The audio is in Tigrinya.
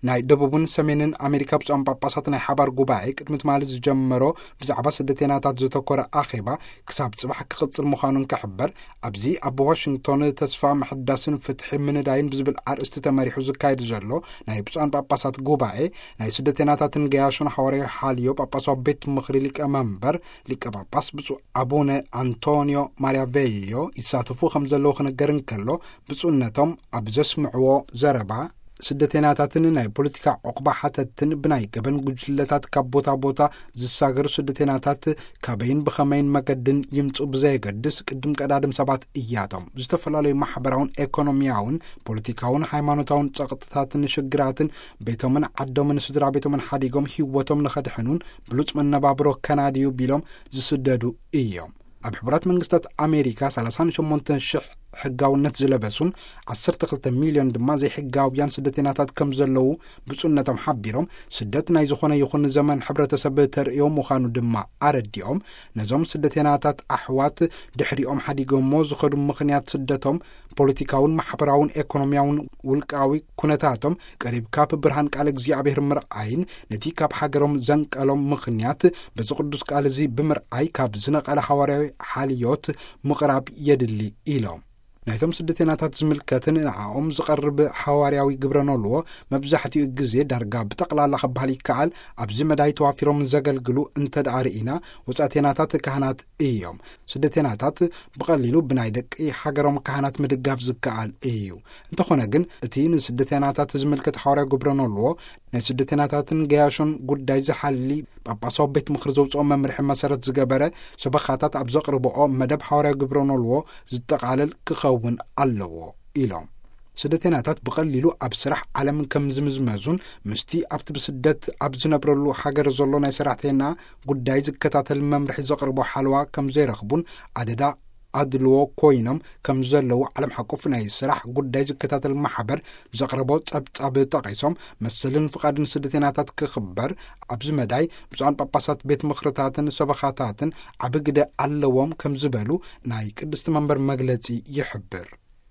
ናይ ደቡብን ሰሜንን ኣሜሪካ ብፁዓን ጳጳሳት ናይ ሓባር ጉባኤ ቅድሚ ትማሊ ዝጀመሮ ብዛዕባ ስደተናታት ዘተኮረ ኣኼባ ክሳብ ጽባሕ ክቕጽል ምዃኑን ክሕበር፣ ኣብዚ ኣብ ዋሽንግቶን ተስፋ ምሕዳስን ፍትሒ ምንዳይን ብዝብል ኣርእስቲ ተመሪሑ ዝካየድ ዘሎ ናይ ብፁዓን ጳጳሳት ጉባኤ፣ ናይ ስደተናታትን ገያሾን ሓዋርያዊ ሓልዮ ጳጳሳዊ ቤት ምኽሪ ሊቀ መንበር ሊቀ ጳጳስ ብፁዕ ኣቡነ ኣንቶኒዮ ማሪያ ቬዮ ይሳተፉ ከም ዘለዉ ክነገር እንከሎ፣ ብፁዕነቶም ኣብ ዘስምዕዎ ዘረባ፣ ስደተናታትን ናይ ፖለቲካ ዑቕባ ሓተትን ብናይ ገበን ጉጅለታት ካብ ቦታ ቦታ ዝሳገሩ ስደተናታት ካበይን ብኸመይን መገድን ይምጹ ብዘየገድስ፣ ቅድም ቀዳድም ሰባት እያቶም። ዝተፈላለዩ ማሕበራውን ኤኮኖሚያውን ፖለቲካውን ሃይማኖታውን ጸቕጥታትን ሽግራትን ቤቶምን ዓዶምን ስድራ ቤቶምን ሓዲጎም ህይወቶም ንኸድሕኑን ብሉጽ መነባብሮ ከናድዩ ቢሎም ዝስደዱ እዮም። ኣብ ሕቡራት መንግስታት ኣሜሪካ ሰላሳ ሸሞንተ ሽሕ ሕጋውነት ዝለበሱን ዓሰርተ ክልተ ሚልዮን ድማ ዘይሕጋውያን ስደተናታት ከም ዘለዉ ብፁዕነቶም ሓቢሮም፣ ስደት ናይ ዝኾነ ይኹን ዘመን ሕብረተሰብ ተርእዮ ምዃኑ ድማ ኣረዲኦም፣ ነዞም ስደተናታት ኣሕዋት ድሕሪኦም ሓዲጎሞ ዝኸዱ ምኽንያት ስደቶም ፖለቲካውን ማሕበራውን ኤኮኖሚያውን ውልቃዊ ኩነታቶም ቀሪብካ ብብርሃን ቃል እግዚኣብሔር ምርኣይን ነቲ ካብ ሃገሮም ዘንቀሎም ምኽንያት በዚ ቅዱስ ቃል እዚ ብምርኣይ ካብ ዝነቐለ ሓዋርያዊ ሓልዮት ምቕራብ የድሊ ኢሎም። ናይቶም ስደተናታት ዝምልከትን ንዓኦም ዝቐርብ ሓዋርያዊ ግብረ ኖልዎ መብዛሕትኡ ግዜ ዳርጋ ብጠቕላላ ክበሃል ይከኣል ኣብዚ መዳይ ተዋፊሮም ዘገልግሉ እንተ ደኣ ርኢና፣ ወጻእተናታት ካህናት እዮም። ስደተናታት ብቐሊሉ ብናይ ደቂ ሃገሮም ካህናት ምድጋፍ ዝከኣል እዩ። እንተኾነ ግን፣ እቲ ንስደተናታት ዝምልከት ሓዋርያዊ ግብረ ኖልዎ ናይ ስደተናታትን ገያሾን ጉዳይ ዝሓሊ ጳጳሳዊ ቤት ምኽሪ ዘውፅኦ መምርሒ መሰረት ዝገበረ ሰበኻታት ኣብ ዘቕርብኦ መደብ ሓዋርያዊ ግብረ ኖልዎ ዝጠቓለል ክኸውን ኣለዎ ኢሎም። ስደተናታት ብቐሊሉ ኣብ ስራሕ ዓለም ከም ዝምዝመዙን ምስቲ ኣብቲ ብስደት ኣብ ዝነብረሉ ሃገር ዘሎ ናይ ሰራሕተና ጉዳይ ዝከታተል መምርሒ ዘቕርቦ ሓለዋ ከም ዘይረኽቡን ኣደዳ ኣድልዎ ኮይኖም ከም ዘለዉ ዓለም ሓቆፍ ናይ ስራሕ ጉዳይ ዝከታተል ማሕበር ዘቕረቦ ጸብጻብ ጠቒሶም፣ መሰልን ፍቓድን ስደተናታት ክኽበር ኣብዚ መዳይ ብፁዓን ጳጳሳት ቤት ምኽርታትን ሰበኻታትን ዓቢ ግደ ኣለዎም ከም ዝበሉ ናይ ቅድስቲ መንበር መግለጺ ይሕብር።